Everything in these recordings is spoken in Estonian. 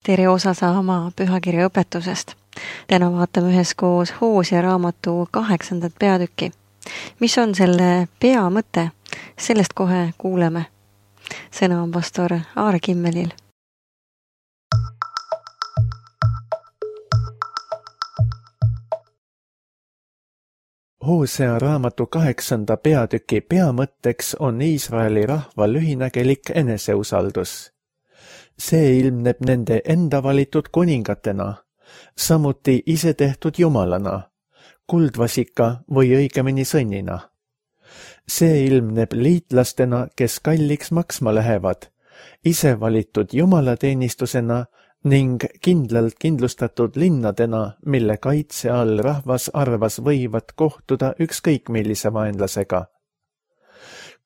tere osa saama pühakirja õpetusest. Täna vaatame üheskoos Hoosea raamatu 8. peatükki. Mis on selle peamõte? Sellest kohe kuuleme. Sõna on pastor Aare Kimmelil. Hoosea raamatu 8. peatüki peamõtteks on Iisraeli rahva lühinägelik eneseusaldus. See ilmneb nende enda valitud kuningatena, samuti ise tehtud jumalana, kuldvasika või õigemini sõnnina. See ilmneb liitlastena, kes kalliks maksma lähevad, ise valitud jumalateenistusena ning kindlalt kindlustatud linnadena, mille kaitse all rahvas arvas võivad kohtuda ükskõik millise vaenlasega.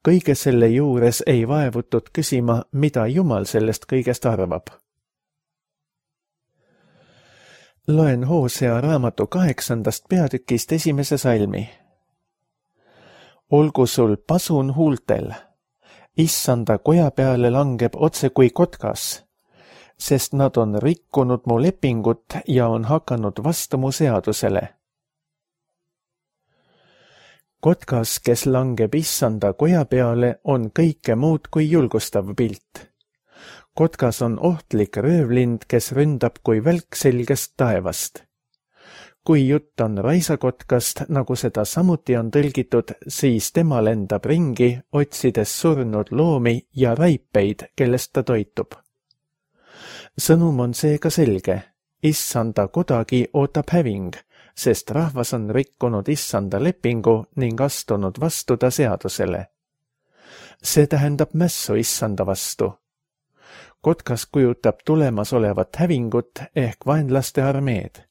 Kõige selle juures ei vaevutud küsima, mida Jumal sellest kõigest arvab. Loen Hoosea raamatu 8. peatükist 1. salmi. Olgu sul pasun huultel, issanda koja peale langeb otse kui kotkas, sest nad on rikkunud mu lepingut ja on hakanud vastu mu seadusele. Kotkas, kes langeb issanda koja peale, on kõike muud kui julgustav pilt. Kotkas on ohtlik röövlind, kes ründab kui välk selgest taevast. Kui jutt on raisakotkast, nagu seda samuti on tõlgitud, siis tema lendab ringi, otsides surnud loomi ja raipeid, kellest ta toitub. Sõnum on seega selge. Issanda kodagi ootab häving, sest rahvas on rikkunud issanda lepingu ning astunud vastu ta seadusele. See tähendab mässu issanda vastu. Kotkas kujutab tulemas olevat hävingut ehk vaenlaste armeed.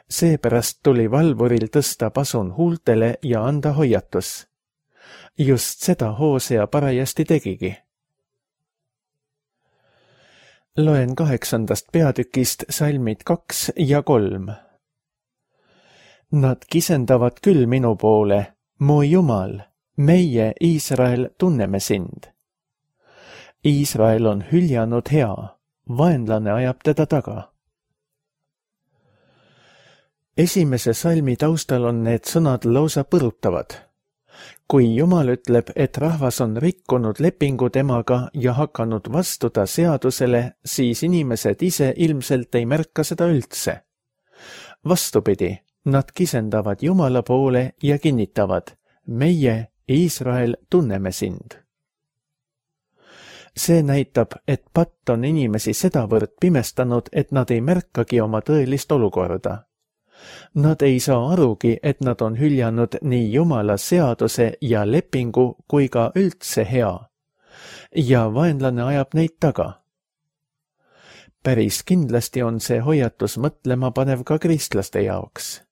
Seepärast tuli valvuril tõsta pasun huultele ja anda hoiatus. Just seda Hoosea parajasti tegigi. Loen 8. peatükist salmid 2 ja 3. Nad kisendavad küll minu poole, mu Jumal, meie Iisrael tunneme sind. Iisrael on hüljanud hea, vaenlane ajab teda taga. Esimese salmi taustal on need sõnad lausa põrutavad. Kui Jumal ütleb, et rahvas on rikkunud lepingu temaga ja hakanud vastu ta seadusele, siis inimesed ise ilmselt ei märka seda üldse. Vastupidi, nad kisendavad Jumala poole ja kinnitavad, meie, Iisrael, tunneme sind. See näitab, et patt on inimesi sedavõrd pimestanud, et nad ei märkagi oma tõelist olukorda. Nad ei saa arugi, et nad on hüljanud nii Jumala seaduse ja lepingu kui ka üldse hea. Ja vaenlane ajab neid taga. Päris kindlasti on see hoiatus mõtlema panev ka kristlaste jaoks.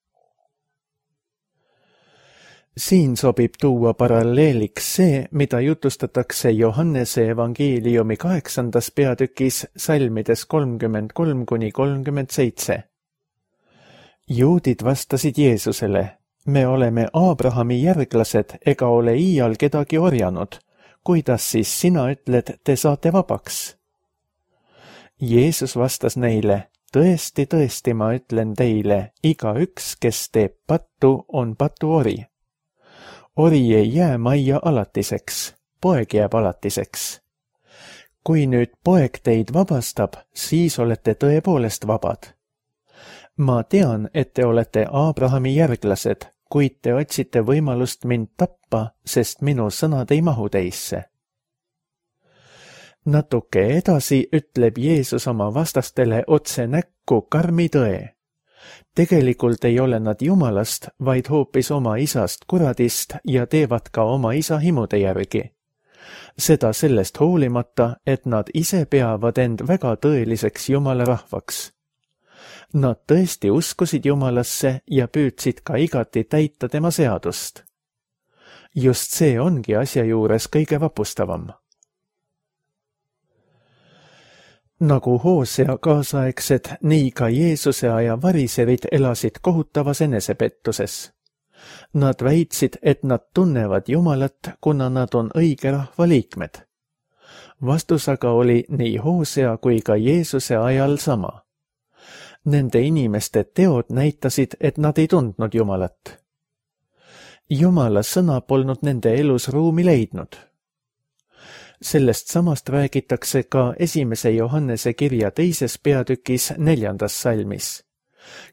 Siin sobib tuua paralleeliks see, mida jutustatakse Johannese evangeeliumi 8. peatükis salmides 33–37. Juudid vastasid Jeesusele, me oleme Aabrahami järglased ega ole iial kedagi orjanud. Kuidas siis sina ütled, te saate vabaks? Jeesus vastas neile, tõesti, tõesti, ma ütlen teile, igaüks, kes teeb pattu, on patuori. Ori ei jää majja alatiseks, poeg jääb alatiseks. Kui nüüd poeg teid vabastab, siis olete tõepoolest vabad. Ma tean, et te olete Aabrahami järglased, kuid te otsite võimalust mind tappa, sest minu sõnad ei mahu teisse. Natuke edasi ütleb Jeesus oma vastastele otse näkku karmi tõe. Tegelikult ei ole nad Jumalast, vaid hoopis oma isast kuradist ja teevad ka oma isa himude järgi. Seda sellest hoolimata, et nad ise peavad end väga tõeliseks Jumala rahvaks. Nad tõesti uskusid Jumalasse ja püüdsid ka igati täita tema seadust. Just see ongi asja juures kõige vapustavam. Nagu Hoosea kaasaegsed, nii ka Jeesuse aja variserid elasid kohutavas enesepettuses. Nad väitsid, et nad tunnevad Jumalat, kuna nad on õige rahva liikmed. Vastus aga oli nii Hosea kui ka Jeesuse ajal sama. Nende inimeste teod näitasid, et nad ei tundnud Jumalat. Jumala sõna polnud nende elus ruumi leidnud. Sellest samast räägitakse ka 1. Johannese kirja 2. peatükis 4. salmis.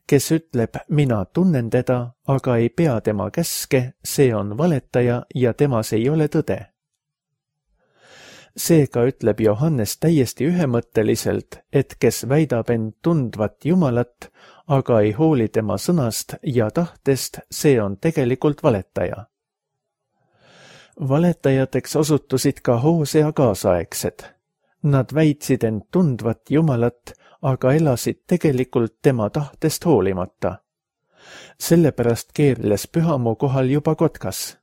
Kes ütleb, mina tunnen teda, aga ei pea tema käske, see on valetaja ja temas ei ole tõde. Seega ütleb Johannes täiesti ühemõtteliselt, et kes väidab end tundvat Jumalat, aga ei hooli tema sõnast ja tahtest, see on tegelikult valetaja. Valetajateks osutusid ka Hosea kaasaegsed. Nad väitsid end tundvat Jumalat, aga elasid tegelikult tema tahtest hoolimata. Sellepärast keerles pühamu kohal juba kotkas.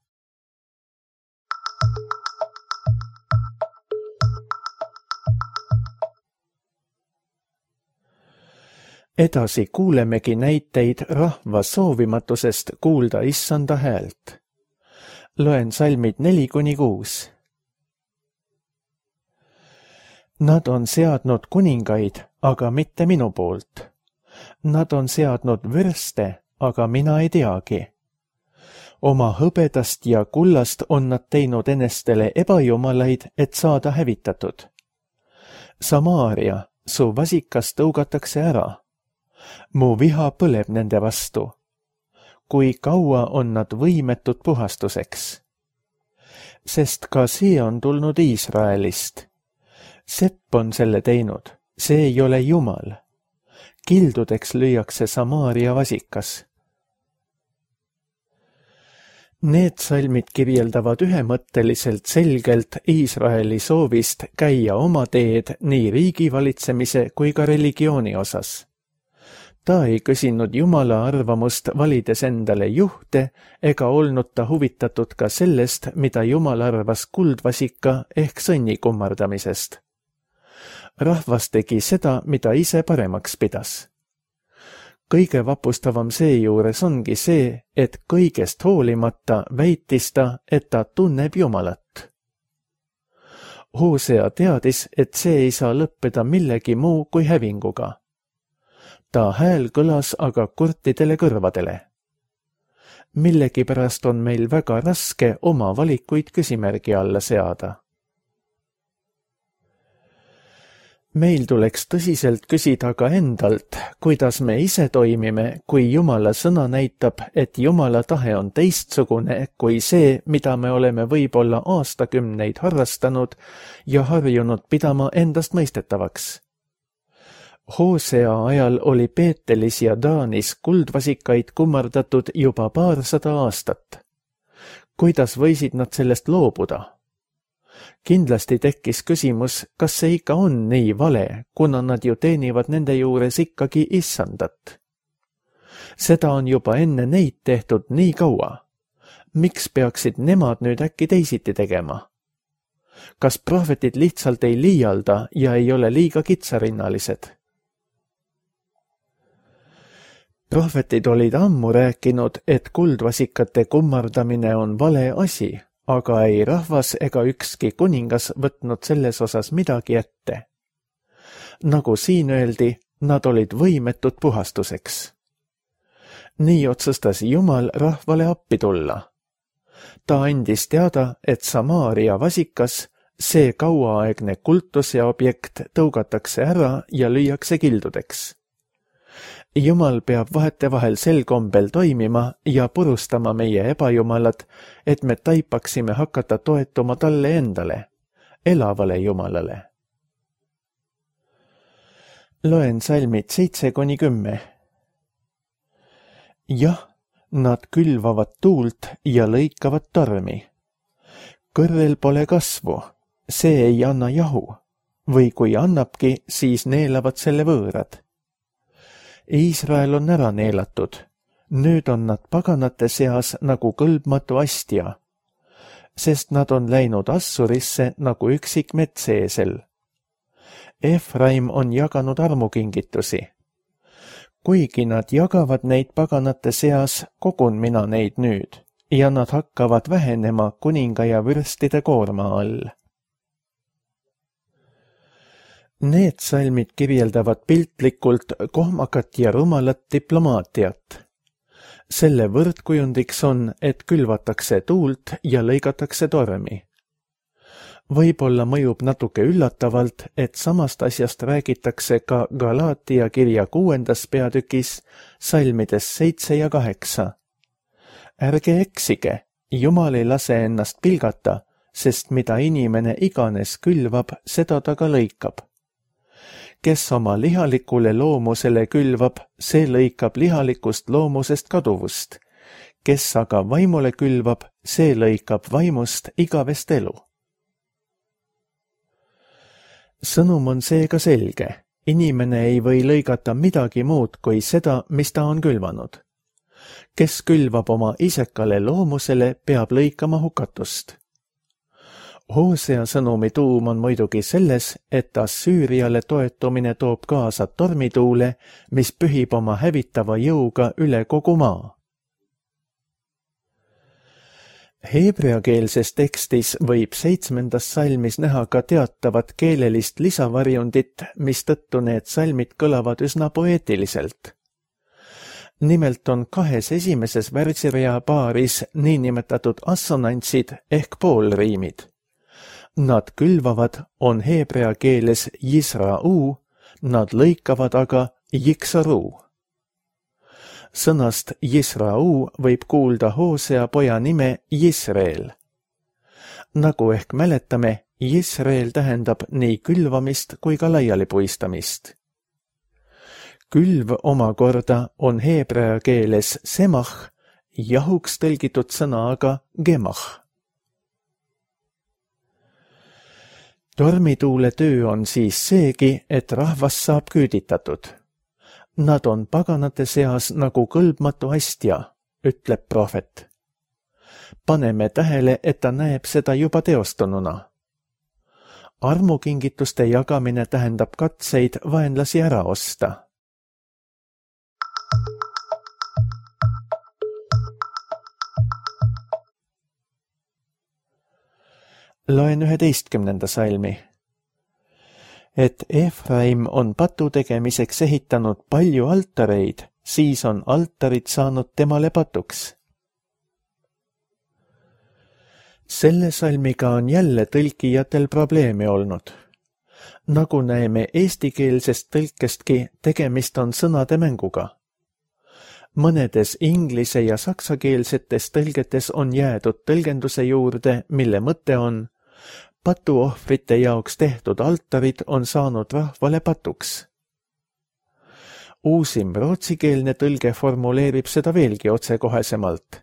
Edasi kuulemegi näiteid rahva soovimatusest kuulda issanda häält. Loen salmid 4-6. Nad on seadnud kuningaid, aga mitte minu poolt. Nad on seadnud vürste, aga mina ei teagi. Oma hõbedast ja kullast on nad teinud enestele ebajumalaid, et saada hävitatud. Samaaria, su vasikas tõugatakse ära. Mu viha põleb nende vastu. Kui kaua on nad võimetud puhastuseks? Sest ka see on tulnud Iisraelist. Sepp on selle teinud, see ei ole Jumal. Kildudeks lüüakse Samaaria vasikas. Need salmid kirjeldavad ühemõtteliselt selgelt Iisraeli soovist käia oma teed nii riigi valitsemise kui ka religiooni osas. Ta ei küsinud Jumala arvamust valides endale juhte ega olnud ta huvitatud ka sellest, mida Jumal arvas kuldvasika ehk sõnni kummardamisest. Rahvas tegi seda, mida ise paremaks pidas. Kõige vapustavam seejuures ongi see, et kõigest hoolimata väitis ta, et ta tunneb Jumalat. Hosea teadis, et see ei saa lõppeda millegi muu kui hävinguga. Ta hääl kõlas aga kurtidele kõrvadele. Millegipärast on meil väga raske oma valikuid küsimärgi alla seada. Meil tuleks tõsiselt küsida ka endalt, kuidas me ise toimime, kui Jumala sõna näitab, et Jumala tahe on teistsugune kui see, mida me oleme võib-olla aastakümneid harrastanud ja harjunud pidama endast mõistetavaks. Hosea ajal oli Peetelis ja Daanis kuldvasikaid kummardatud juba 200 aastat. Kuidas võisid nad sellest loobuda? Kindlasti tekkis küsimus, kas see ikka on nii vale, kuna nad ju teenivad nende juures ikkagi issandat. Seda on juba enne neid tehtud nii kaua. Miks peaksid nemad nüüd äkki teisiti tegema? Kas prohvetid lihtsalt ei liialda ja ei ole liiga kitsarinnalised? Prohvetid olid ammu rääkinud, et kuldvasikate kummardamine on vale asi, aga ei rahvas ega ükski kuningas võtnud selles osas midagi ette. Nagu siin öeldi, nad olid võimetud puhastuseks. Nii otsustas Jumal rahvale appi tulla. Ta andis teada, et Samaaria vasikas, see kauaaegne kultuse objekt tõugatakse ära ja lüüakse kildudeks. Jumal peab vahetevahel sel kombel toimima ja purustama meie ebajumalad, et me taipaksime hakata toetuma talle endale, elavale Jumalale. Loen salmid 7-10. Jah, nad külvavad tuult ja lõikavad tormi. Kõrrel pole kasvu, see ei anna jahu, või kui annabki, siis neelavad selle võõrad. Iisrael on ära neelatud, nüüd on nad paganate seas nagu kõlbmatu astja, sest nad on läinud Assurisse nagu üksik metseesel. Efraim on jaganud armukingitusi. Kuigi nad jagavad neid paganate seas, kogun mina neid nüüd, ja nad hakkavad vähenema kuninga ja vürstide koorma all. Need salmid kirjeldavad piltlikult kohmakat ja rumalat diplomaatiat. Selle võrdkujundiks on, et külvatakse tuult ja lõigatakse tormi. Võib-olla mõjub natuke üllatavalt, et samast asjast räägitakse ka Galaatia kirja 6. peatükis salmides 7 ja 8. Ärge eksige, Jumal ei lase ennast pilgata, sest mida inimene iganes külvab, seda ta ka lõikab. Kes oma lihalikule loomusele külvab, see lõikab lihalikust loomusest kaduvust. Kes aga vaimule külvab, see lõikab vaimust igavest elu. Sõnum on seega selge. Inimene ei või lõigata midagi muud kui seda, mis ta on külvanud. Kes külvab oma isekale loomusele, peab lõikama hukatust. Hosea sõnumi tuum on muidugi selles, et Assüüriale toetumine toob kaasa tormituule, mis pühib oma hävitava jõuga üle kogu maa. Heebreakeelses tekstis võib 7. salmis näha ka teatavat keelelist lisavarjundit, mistõttu need salmid kõlavad üsna poeetiliselt. Nimelt on 2 esimeses värsirea paaris niinimetatud assonantsid ehk poolriimid. Nad külvavad on heebrea keeles Yisra'u, nad lõikavad aga Jiksaru. Sõnast Yisra'u võib kuulda Hosea poja nime Jisreel. Nagu ehk mäletame, Jisreel tähendab nii külvamist kui ka laialipuistamist. Külv omakorda on heebrea keeles semach, jahuks tõlgitud sõna aga gemach. Tormituule töö on siis seegi, et rahvas saab küüditatud. Nad on paganate seas nagu kõlbmatu astja, ütleb prohvet. Paneme tähele, et ta näeb seda juba teostununa. Armukingituste jagamine tähendab katseid vaenlasi ära osta. Loen 11. salmi. Et Efraim on patu tegemiseks ehitanud palju altareid, siis on altarid saanud temale patuks. Selle salmiga on jälle tõlkijatel probleeme olnud. Nagu näeme eestikeelsest tõlkestki, tegemist on sõnade mänguga. Mõnedes inglise- ja saksakeelsetes tõlgetes on jäädud tõlgenduse juurde, mille mõte on: patuohvrite jaoks tehtud altarid on saanud rahvale patuks. Uusim rootsikeelne tõlge formuleerib seda veelgi otsekohesemalt.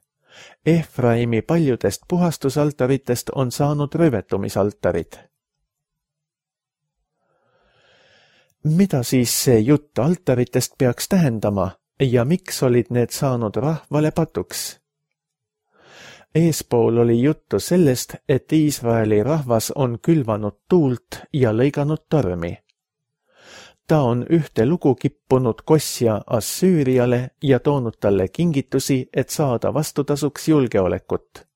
Efraimi paljudest puhastusaltaritest on saanud rövetumisaltarid. Mida siis see jutt altaritest peaks tähendama ja miks olid need saanud rahvale patuks? Eespool oli juttu sellest, et Iisraeli rahvas on külvanud tuult ja lõiganud tormi. Ta on ühte lugu kippunud kosja Assüüriale ja toonud talle kingitusi, et saada vastutasuks julgeolekut.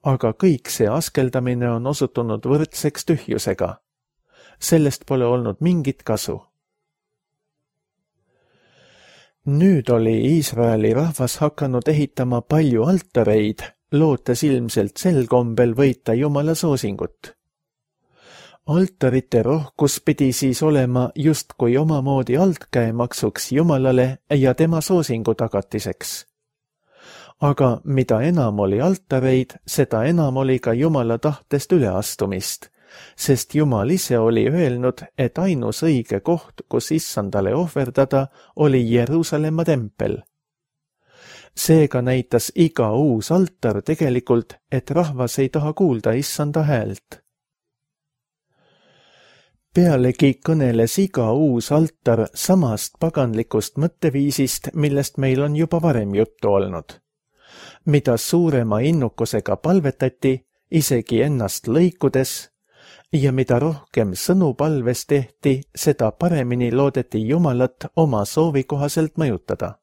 Aga kõik see askeldamine on osutunud võrdseks tühjusega. Sellest pole olnud mingit kasu. Nüüd oli Iisraeli rahvas hakanud ehitama palju altareid, lootes ilmselt sel kombel võita Jumala soosingut. Altarite rohkus pidi siis olema justkui omamoodi altkäemaksuks Jumalale ja tema soosingu tagatiseks. Aga mida enam oli altareid, seda enam oli ka Jumala tahtest üleastumist, sest Jumal ise oli öelnud, et ainus õige koht, kus issandale ohverdada, oli Jeruusalemma tempel. Seega näitas iga uus altar tegelikult, et rahvas ei taha kuulda issanda häält. Pealegi kõneles iga uus altar samast paganlikust mõtteviisist, millest meil on juba varem juttu olnud. Mida suurema innukusega palvetati, isegi ennast lõikudes, ja mida rohkem sõnu palves tehti, seda paremini loodeti Jumalat oma soovi kohaselt mõjutada.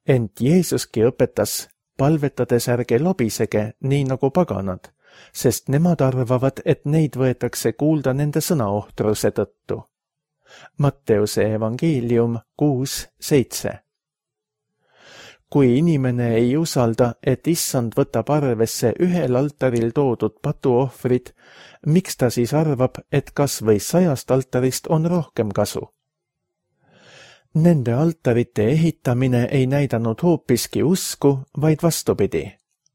Ent Jeesuski õpetas, palvetades ärge lobisege, nii nagu paganad, sest nemad arvavad, et neid võetakse kuulda nende sõnaohtruse tõttu. Matteuse evangeelium 6:7. Kui inimene ei usalda, et issand võtab arvesse ühel altaril toodud patuohvrid, miks ta siis arvab, et kas või 100 altarist on rohkem kasu? Nende altarite ehitamine ei näidanud hoopiski usku, vaid vastupidi,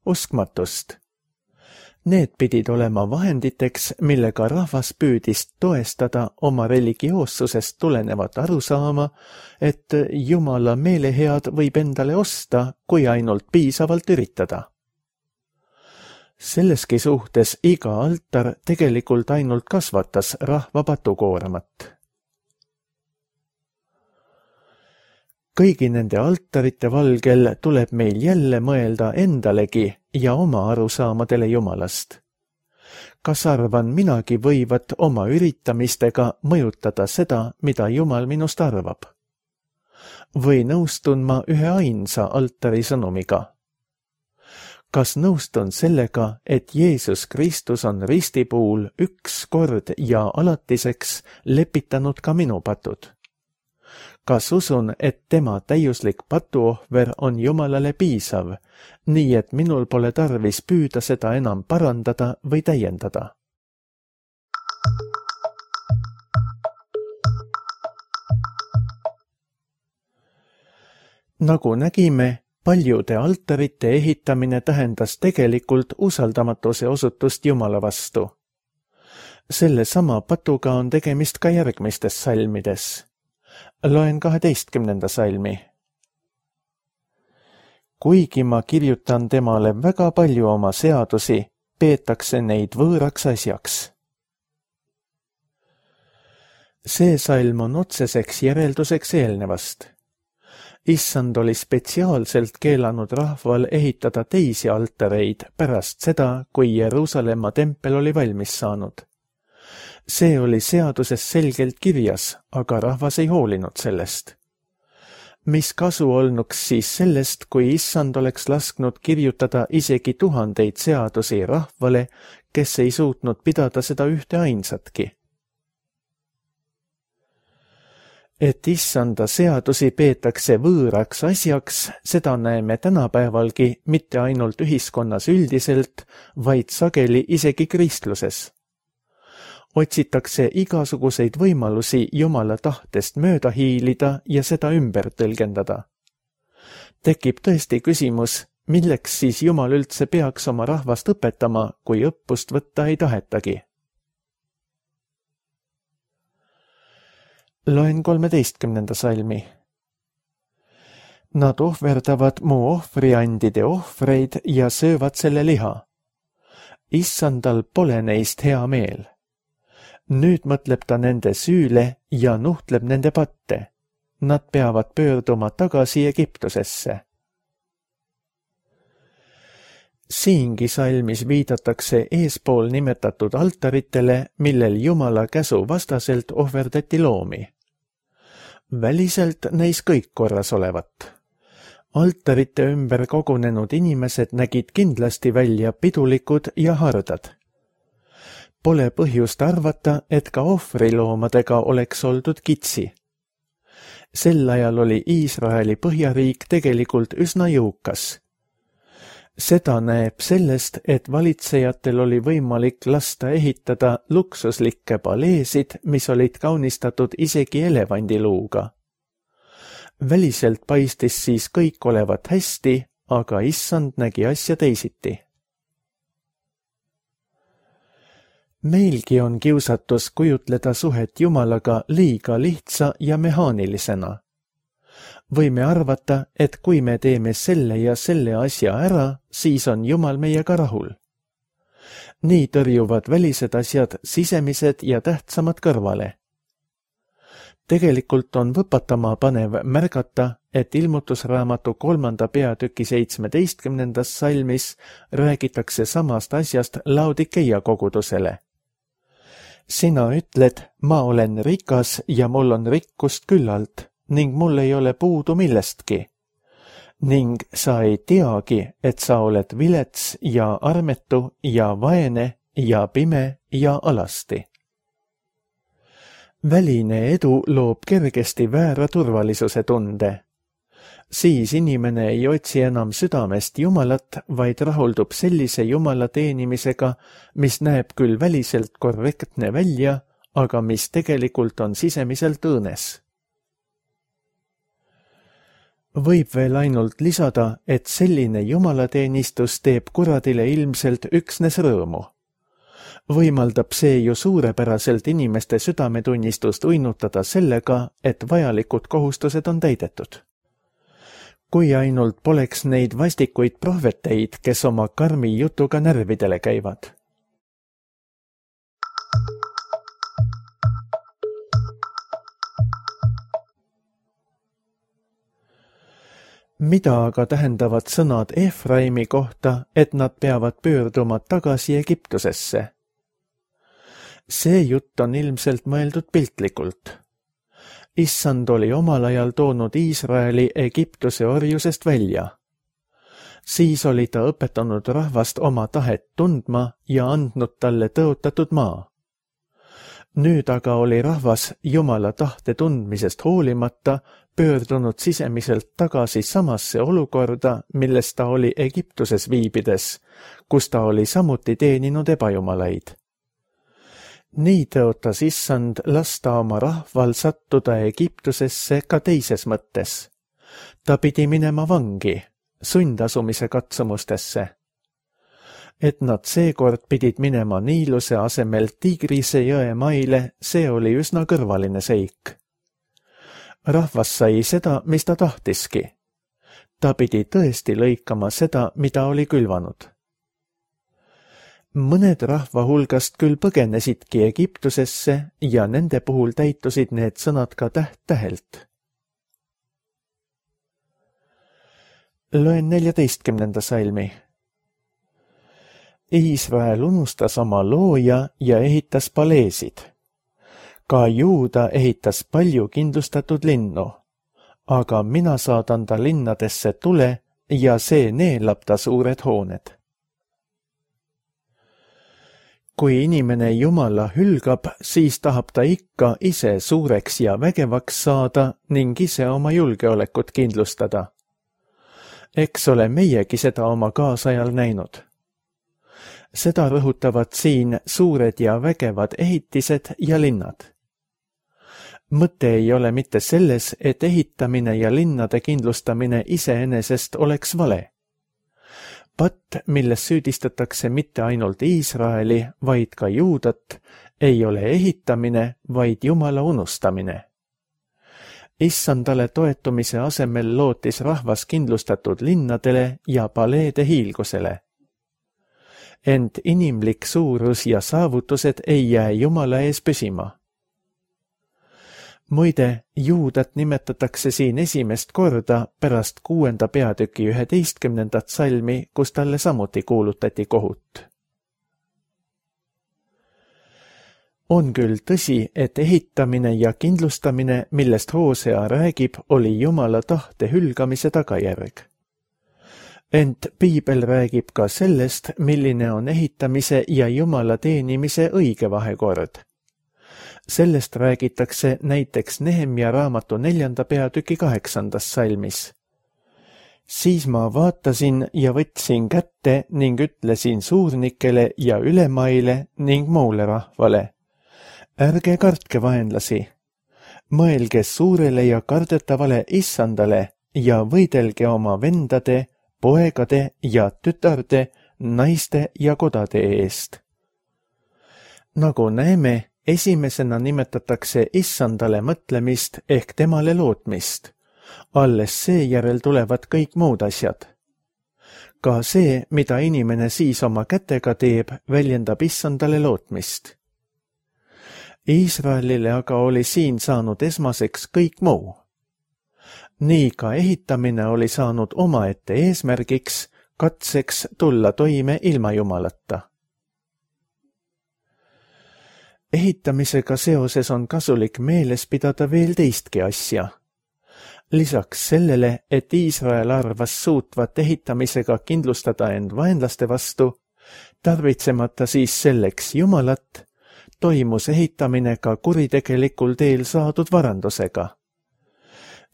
uskmatust. Need pidid olema vahenditeks, millega rahvas püüdis toestada oma religioossusest tulenevat arusaama, et Jumala meelehead võib endale osta, kui ainult piisavalt üritada. Selleski suhtes iga altar tegelikult ainult kasvatas rahva patukoormat. Kõigi nende altarite valgel tuleb meil jälle mõelda endalegi ja oma arusaamadele Jumalast. Kas arvan minagi võivat oma üritamistega mõjutada seda, mida Jumal minust arvab? Või nõustun ma ühe ainsa altari sõnumiga? Kas nõustun sellega, et Jeesus Kristus on ristipuul üks kord ja alatiseks lepitanud ka minu patud? Kas usun, et tema täiuslik patuohver on Jumalale piisav, nii et minul pole tarvis püüda seda enam parandada või täiendada? Nagu nägime, paljude altarite ehitamine tähendas tegelikult usaldamatuse osutust Jumala vastu. Selle sama patuga on tegemist ka järgmistes salmides. Loen 12. salmi. Kuigi ma kirjutan temale väga palju oma seadusi, peetakse neid võõraks asjaks. See salm on otseseks järelduseks eelnevast. Issand oli spetsiaalselt keelanud rahval ehitada teisi altareid pärast seda, kui Jeruusalemma tempel oli valmis saanud. See oli seaduses selgelt kirjas, aga rahvas ei hoolinud sellest. Mis kasu olnuks siis sellest, kui issand oleks lasknud kirjutada isegi 1000 seadusi rahvale, kes ei suutnud pidada seda ühte ainsatki? Et issanda seadusi peetakse võõraks asjaks, seda näeme tänapäevalgi mitte ainult ühiskonnas üldiselt, vaid sageli isegi kristluses. Otsitakse igasuguseid võimalusi Jumala tahtest mööda hiilida ja seda ümber tõlgendada. Tekib tõesti küsimus, milleks siis Jumal üldse peaks oma rahvast õpetama, kui õppust võtta ei tahetagi? Loen 13. salmi. Nad ohverdavad mu ohvriandide ohvreid ja söövad selle liha. Issandal pole neist hea meel. Nüüd mõtleb ta nende süüle ja nuhtleb nende patte. Nad peavad pöörduma tagasi Egiptusesse. Siingi salmis viidatakse eespool nimetatud altaritele, millel Jumala käsu vastaselt ohverdati loomi. Väliselt neis kõik korras olevat. Altarite ümber kogunenud inimesed nägid kindlasti välja pidulikud ja hardad. Pole põhjust arvata, et ka ohvriloomadega oleks oldud kitsi. Sel ajal oli Iisraeli põhjariik tegelikult üsna jõukas. Seda näeb sellest, et valitsejatel oli võimalik lasta ehitada luksuslikke paleesid, mis olid kaunistatud isegi elevandiluuga. Väliselt paistis siis kõik olevat hästi, aga issand nägi asja teisiti. Meilgi on kiusatus kujutleda suhet Jumalaga liiga lihtsa ja mehaanilisena. Võime arvata, et kui me teeme selle ja selle asja ära, siis on Jumal meiega rahul. Nii tõrjuvad välised asjad sisemised ja tähtsamad kõrvale. Tegelikult on võpatama panev märgata, et Ilmutusraamatu 3. peatüki 17. salmis räägitakse samast asjast Laodikeia kogudusele. Sina ütled, ma olen rikas ja mul on rikkust küllalt ning mul ei ole puudu millestki. ning sa ei teagi, et sa oled vilets ja armetu ja vaene ja pime ja alasti. Väline edu loob kergesti väära turvalisuse tunde. Siis inimene ei otsi enam südamest Jumalat, vaid rahuldub sellise Jumala teenimisega, mis näeb küll väliselt korrektne välja, aga mis tegelikult on sisemiselt õõnes. Võib veel ainult lisada, et selline jumalateenistus teeb kuradile ilmselt üksnes rõõmu. Võimaldab see ju suurepäraselt inimeste südametunnistust uinutada sellega, et vajalikud kohustused on täidetud. Kui ainult poleks neid vastikuid prohveteid, kes oma karmi jutuga närvidele käivad. Mida aga tähendavad sõnad Efraimi kohta, et nad peavad pöörduma tagasi Egiptusesse? See jutt on ilmselt mõeldud piltlikult. Issand oli omal ajal toonud Iisraeli Egiptuse orjusest välja. Siis oli ta õpetanud rahvast oma tahet tundma ja andnud talle tõotatud maa. Nüüd aga oli rahvas Jumala tahte tundmisest hoolimata pöördunud sisemiselt tagasi samasse olukorda, milles ta oli Egiptuses viibides, kus ta oli samuti teeninud ebajumalaid. Nii tõotas Issand lasta oma rahval sattuda Egiptusesse ka teises mõttes. Ta pidi minema vangi, sundasumise katsumustesse. Et nad seekord pidid minema Niiluse asemel Tigrise jõe maile, see oli üsna kõrvaline seik. Rahvas sai seda, mis ta tahtiski. Ta pidi tõesti lõikama seda, mida oli külvanud. Mõned rahva hulgast küll põgenesidki Egiptusesse ja nende puhul täitusid need sõnad ka täht-tähelt. Loen 14. salmi. Iisrael unustas oma looja ja ehitas paleesid. Ka Juuda ehitas palju kindlustatud linnu, aga mina saadan ta linnadesse tule ja see neelab ta suured hooned. Kui inimene Jumala hülgab, siis tahab ta ikka ise suureks ja vägevaks saada ning ise oma julgeolekut kindlustada. Eks ole meiegi seda oma kaasajal näinud. Seda rõhutavad siin suured ja vägevad ehitised ja linnad. Mõte ei ole mitte selles, et ehitamine ja linnade kindlustamine iseenesest oleks vale. Patt, milles süüdistatakse mitte ainult Iisraeli, vaid ka Juudat, ei ole ehitamine, vaid Jumala unustamine. Issandale toetumise asemel lootis rahvas kindlustatud linnadele ja paleede hiilgusele. Ent inimlik suurus ja saavutused ei jää Jumala ees püsima. Muide, Juudat nimetatakse siin esimest korda pärast 6. peatüki 11. salmi, kus talle samuti kuulutati kohut. On küll tõsi, et ehitamine ja kindlustamine, millest Hoosea räägib, oli Jumala tahte hülgamise tagajärg. Ent Piibel räägib ka sellest, milline on ehitamise ja Jumala teenimise õige vahekord. Sellest räägitakse näiteks Nehemja raamatu 4. peatüki 8. salmis. Siis ma vaatasin ja võtsin kätte ning ütlesin suurnikele ja ülemaile ning muule rahvale. Ärge kartke vaenlasi. Mõelge suurele ja kardetavale Issandale ja võidelge oma vendade, poegade ja tütarde, naiste ja kodade eest. Nagu näeme, esimesena nimetatakse Issandale mõtlemist ehk temale lootmist. Alles seejärel tulevad kõik muud asjad. Ka see, mida inimene siis oma kätega teeb, väljendab Issandale lootmist. Iisraelile aga oli siin saanud esmaseks kõik muu. Nii ka ehitamine oli saanud omaette eesmärgiks, katseks tulla toime ilma Jumalata. Ehitamisega seoses on kasulik meeles pidada veel teistki asja. Lisaks sellele, et Iisrael arvas suutvat ehitamisega kindlustada end vaenlaste vastu, tarvitsemata siis selleks Jumalat, toimus ehitamine ka kuritegelikul teel saadud varandusega.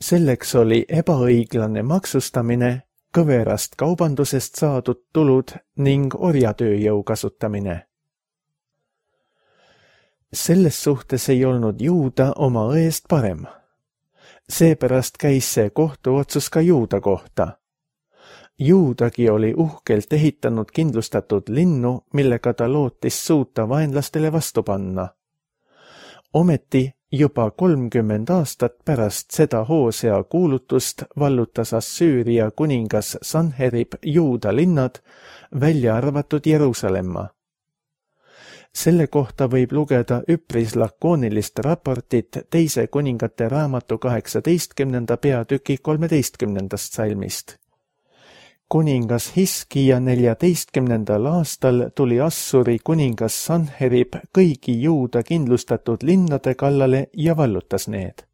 Selleks oli ebaõiglane maksustamine, kõverast kaubandusest saadud tulud ning orjatööjõu kasutamine. Selles suhtes ei olnud Juuda oma õest parem. Seepärast käis see kohtuotsus ka Juuda kohta. Juudagi oli uhkelt ehitanud kindlustatud linnu, millega ta lootis suuta vaenlastele vastu panna. Ometi juba 30 aastat pärast seda Hoosea kuulutust vallutas Assüüria kuningas Sanherib Juuda linnad, välja arvatud Jeruusalemma. Selle kohta võib lugeda üpris lakoonilist raportit teise kuningate raamatu 18. peatüki 13. salmist. Kuningas Hiskija 14. aastal tuli Assuri kuningas Sanherib kõigi Juuda kindlustatud linnade kallale ja vallutas need.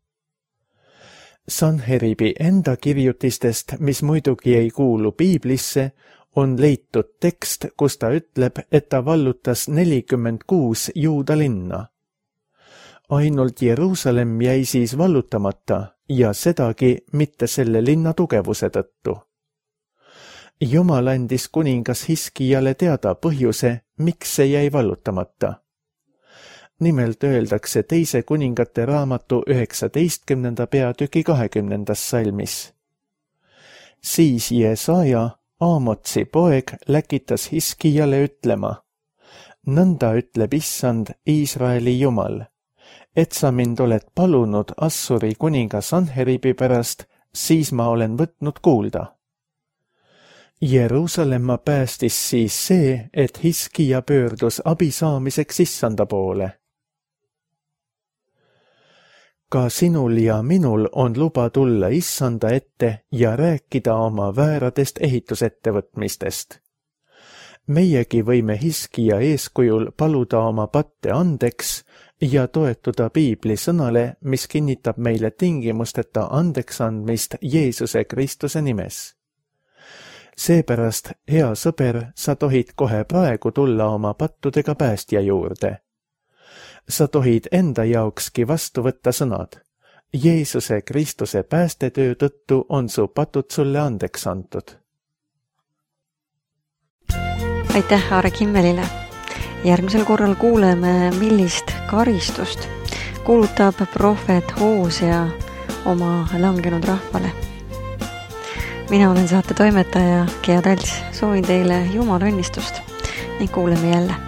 Sanheribi enda kirjutistest, mis muidugi ei kuulu piiblisse, on leitud tekst, kus ta ütleb, et ta vallutas 46 Juuda linna. Ainult Jeruusalemm jäi siis vallutamata ja sedagi mitte selle linna tugevuse tõttu. Jumal andis kuningas Hiskijale teada põhjuse, miks see jäi vallutamata. Nimelt öeldakse teise kuningate raamatu 19. peatüki 20. salmis. Siis Jesaja, Aamotsi poeg, läkitas Hiskijale ütlema: nõnda ütleb Issand, Iisraeli Jumal, et sa mind oled palunud Assuri kuninga Sanheribi pärast, siis ma olen võtnud kuulda. Jeruusalemma päästis siis see, et Hiskija pöördus abi saamiseks Issanda poole. Ka sinul ja minul on luba tulla Issanda ette ja rääkida oma vääradest ehitusettevõtmistest. Meiegi võime Hiskija eeskujul paluda oma patte andeks ja toetuda piibli sõnale, mis kinnitab meile tingimusteta andeks andmist Jeesuse Kristuse nimes. Seepärast, hea sõber, sa tohid kohe praegu tulla oma pattudega päästja juurde. Sa tohid enda jaokski vastu võtta sõnad. Jeesuse Kristuse päästetöö tõttu on su patud sulle andeks antud. Aitäh Aare Kimmelile. Järgmisel korral kuuleme, millist karistust kuulutab prohvet Hoosea oma langenud rahvale. Mina olen saate toimetaja Gea Talts. Soovin teile Jumala õnnistust ning kuuleme jälle.